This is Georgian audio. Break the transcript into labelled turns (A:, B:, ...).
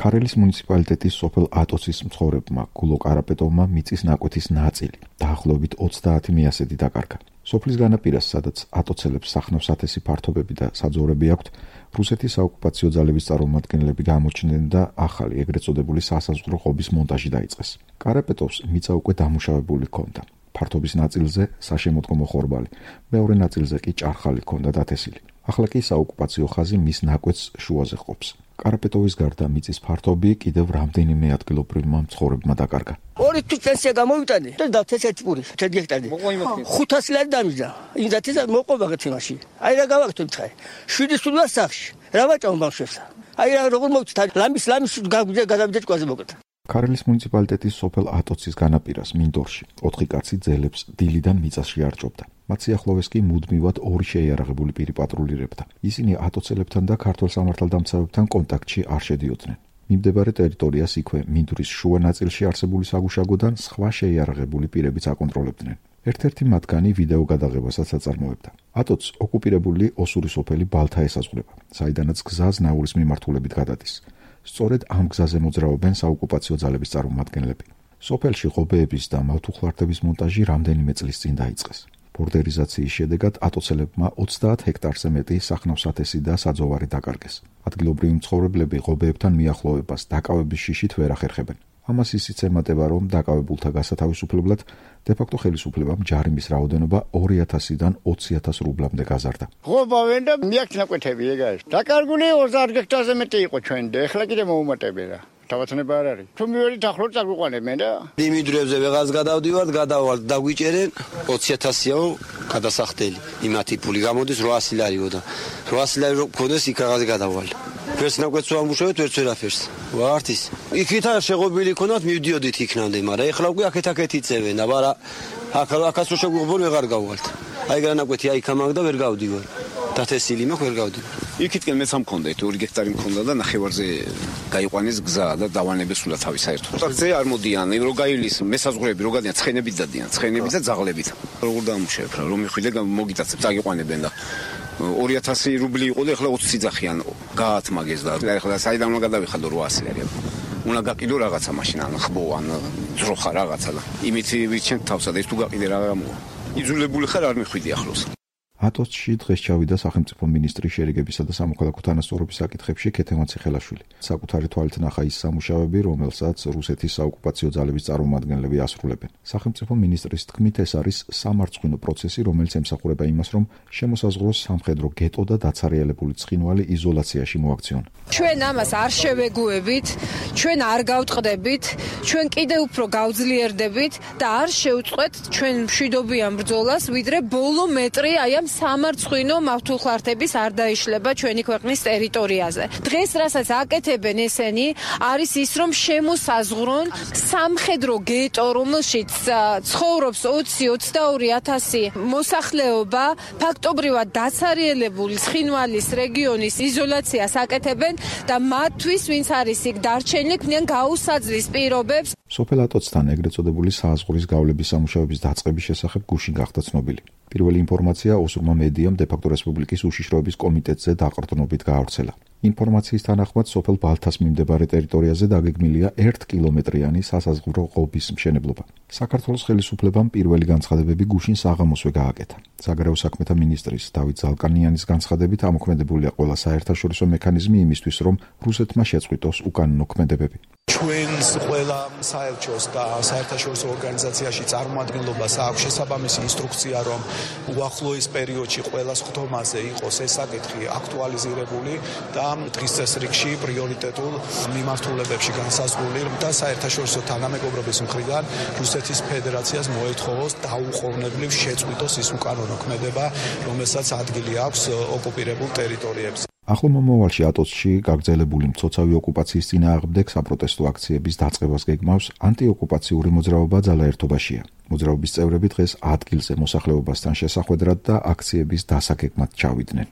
A: ქარელის მუნიციპალიტეტის სოფელ ატოცის მცხოვრებმა გულო კარაპეტოვმა მიწის ნაკვეთის ნაწილი დაახლოებით 30 მიასედი დაკარგა. სოფლის განაპირას, სადაც ატოცელებს სახნავ-სათესი ფართობები და საძოვრები აქვთ, რუსეთის საოკუპაციო ძალების წარმომადგენლები გამოჩნდნენ და ახალი ეგრეთ წოდებული სასაზღვრო ღობის მონტაჟი დაიწყეს. კარაპეტოვს მიწა უკვე დამუშავებული ჰქონდა. ფართობის ნაწილზე საშემოდგომო ხორბალი, მეორე ნაწილზე კი ჭარხალი ჰქონდა დათესილი. ახლა კი საოკუპაციო ხაზი მის ნაკვეთს შუაზე ყოფს. კარაპეტოვის გარდა მიწის ფართობი კიდევ რამდენიმე ადგილობრივმა მცხოვრებმა დაკარგა.
B: 2 თვის პენსია გამოვიტანე და დავთესეთ პური 1 ჰექტარი. 500 ლარი დამიჯდა. იმდათესა მოყვება თემაში. აი რა გავაკეთე ხა. 7 სულა სახში. რა ვაჭამ ბავშვებს. აი რა როგორ მოვწთა ლამის გადავიდე ჭკუაზე მოკეთა.
A: ქარელის მუნიციპალიტეტის სოფელ ატოცის განაპირას მინდორში 4 კაცი ძელებს დილიდან მიწაში არჭობდა. მათ სიახლოვეს კი მუდმივად 2 შეიარაღებული პირი პატრულირებდა. ისინი ატოცელებთან და ქართულ სამართალდამცავებთან კონტაქტში არ შედიოდნენ. მიმდებარე ტერიტორიას იქვე მინდვრის შუა ნაწილში არსებული საგუშაგოდან სხვა შეიარაღებული პირებიც აკონტროლებდნენ. ერთ-ერთი მათგანი ვიდეო გადაღებასაც აწარმოებდა. ატოცს ოკუპირებული ოსური სოფელი ბალთა ესაზღვრება, საიდანაც გზა ზნაურის მიმართულებით გადადის. სწორედ ამ გზაზე მოძრაობენ საოკუპაციო ძალების წარმომადგენლები. სოფელში ღობეების და მავთუხლარდების მონტაჟი რამდენიმე წლის წინ დაიწყეს. ბორდერიზაციის შედეგად ატოცელებმა 30 ჰექტარზე მეტი სახნავ-სათესი და საძოვარი დაკარგეს. ადგილობრივი მცხოვრებლები ღობეებთან მიახლოებას დაკავების შიშით ვერ ახერხებენ. ამას ისიც ემატება, რომ დაკავებულთა გასათავისუფლებლად დე-ფაქტო ხელისუფლებამ ჯარიმის რაოდენობა 2000-დან 20000 რუბლამდე გაზარდა.
C: ღობავენ და მიაქვს ნაკვეთები ეგ არის. დაკარგული 30 ჰექტარზე მეტი იყო ჩვენ და ეხლა კიდე მოუმატებია რა. თავაცნება არ არის. თუ მივედი ახლოს წაგვიყვანებენ და
D: დიმიდრებზე ვეღაც გადავდივართ, გადავალთ დაგვიჭერენ 20000-იაო გადასახდელი. იმათი ფული გამოდის 800 ლარიო და 800 ლარი რო გქონდეს იქ რაღაცე გადავალ. ფერს ნაკვეთს ვამუშავებთ, ვერც ვერაფერს. ვართ ის. იქით არ შეღობილი ქონათ, მივდიოდით იქნამდე, მაგრამ ეხლა უკვე აქეთ იწევენ და მაგრამ აქაც რო შეგვიყვებონ ვეღარ გავვალთ. აი განაკვეთი აი ქამაგ და ვერ გავდივარ. დათესილი მაქვს ვერ გავდივარ.
E: იქითკენ მეც ამქონდა 2 ჰექტარი მქონდა და ნახევარზე გაიყვანეს გზა და დავანებეს სულა თავი საერთოდ. ზე არ მოდიან, რო გაივლის მესაზღვრები, რო გადიან ცხენებით დადიან, ცხენებით და ძაღლებით. როგორ დამუშავებ რა, რომ მიხვიდე მოგიტაცებ, წაგიყვანებენ და 2000 რუბლი იყო და ეხლა 20 ძახიან გაათმაგეს და ეხლა საიდან უნდა გადავიხადო 800 ლარი. უნდა გაყიდო რაღაცა მაშინ ან ხბო ან ძროხა რაღაცა და იმით ვიჩენ თავსა და ის თუ გაყიდე რა გამოვა. იძულებული ხარ არ მიხვიდი ახლოს.
A: ატოცში დღეს ჩავიდა სახელმწიფო მინისტრი შერიგებისა და სამოქალაქო თანასწორობის საკითხებში ქეთევან ციხელაშვილი. საკუთარი თვალით ნახა ის სამუშაოები, რომელსაც რუსეთის საოკუპაციო ძალების წარმომადგენლები ასრულებენ. სახელმწიფო მინისტრის თქმით, ეს არის სამარცხვინო პროცესი, რომელიც ემსახურება იმას, რომ შემოსაზღვროს სამხედრო გეტო და დაცარიელებული ცხინვალი იზოლაციაში მოაქციონ.
F: ჩვენ ამას არ შევეგუებით, ჩვენ არ გავწყდებით, ჩვენ კიდევ უფრო გავძლიერდებით და არ შევწყვეთ ჩვენ მშვიდობიან ბრძოლას, ვიდრე ბოლო მეტრი აი ამ სამარცხვინო მავთუხლარდების არ დაიშლება ჩვენი ქვეყნის ტერიტორიაზე. დღეს რასაც აკეთებენ ესენი, არის ის, რომ შემოსაზღვრონ სამხედრო გეტო, რომელშიც ცხოვრობს 20-22000 მოსახლეობა, ფაქტობრივად დაცარიელებული ცხინვალის რეგიონის იზოლაციას აკეთებენ და მათთვის, ვინც არის იქ დარჩენილი, ქმნიან გაუსაძლის პირობებს.
A: სოფელ ატოცთან ეგრეთ წოდებული საზღვრის გავლების სამუშაოების დაწყების შესახებ გუშინ გახდა ცნობილი. პირველი ინფორმაცია ოსურმა მედიამ დე-ფაქტო რესპუბლიკის უშიშროების კომიტეტზე დაყრდნობით გაავრცელა. ინფორმაციის თანახმად სოფელ ბალთას მიმდებარე ტერიტორიაზე დაგეგმილია 1 კილომეტრიანი სასაზღვრო ღობის მშენებლობა. საქართველოს ხელისუფლებამ პირველი განცხადებები გუშინ საღამოსვე გააკეთა. საგარეო საქმეთა მინისტრის დავით ზალკანიანის განცხადებით ამოქმედებულია ყველა საერთაშორისო მექანიზმი იმისთვის, რომ რუსეთმა შეწყვიტოს უკანონო ქმედებები.
G: ჩვენს ყველა საელჩოს და საერთაშორისო ორგანიზაციაში წარმომადგენლობას აქვს შესაბამისი ინსტრუქცია, რომ უახლოეს პერიოდში ყველა ხდომაზე იყოს ეს საკითხი აქტუალიზირებული და დღის წესრიგში პრიორიტეტულ მიმართულებებში განსაზღვრული და საერთაშორისო თანამეგობრობის მხრიდან რუსეთის ფედერაციას მოეთხოვოს დაუყოვნებლივ შეწყვიტოს ის უკანონო ქმედება, რომელსაც ადგილი აქვს ოკუპირებულ ტერიტორიებზე.
A: ახლო მომავალში ატოცში გაგრძელებული მცოცავი ოკუპაციის წინააღმდეგ საპროტესტო აქციების დაწყებას გეგმავს ანტიოკუპაციური მოძრაობა ძალაერთობაშია. მოძრაობის წევრები დღეს ადგილზე მოსახლეობასთან შესახვედრად და აქციების დასაგეგმად ჩავიდნენ.